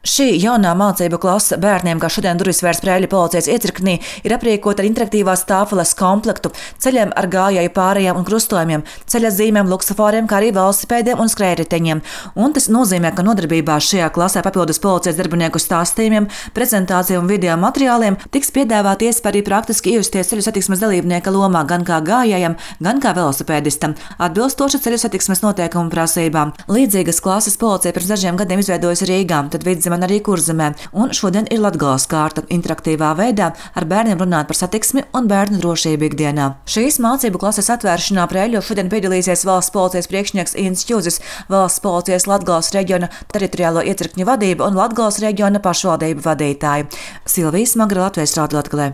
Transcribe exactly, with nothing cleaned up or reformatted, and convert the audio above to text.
Šī jaunā mācību klase bērniem, kā šodien durvis vērs Preiļu policijas iecirknī, ir aprīkota ar interaktīvās tāfeles komplektu, ceļiem ar gājēju pārējām un krustojumiem, ceļa zīmēm, luksusforiem, kā arī velosipēdiem un skrējriteņiem. Un tas nozīmē, ka nodarbībā šajā klasē papildus policijas darbinieku stāstījumiem, prezentāciju un video materiāliem tiks piedāvāt iespēja arī praktiski iejusties ceļu satiksmes dalībnieka lomā gan kā gājējam, gan kā velosipēdistam, atbilstoši ceļu satiksmes noteikumu prasībām. Līdzīgas klases policija pirms dažiem gadiem izveidojusi Rīgā, tad Vidzemē un arī Kurzemē, un šodien ir Latgales kārta interaktīvā veidā ar bērniem runāt par satiksmi un bērnu drošību ikdienā. Šīs mācību klases atvēršanā Preiļos šodien piedalīsies valsts policijas priekšnieks Inns Čuzis, valsts policijas Latgales reģiona teritoriālo iecirkņu vadība un Latgales reģiona pašvaldību vadītāji. Silvija Smagra, Latvijas Radio Latgalē.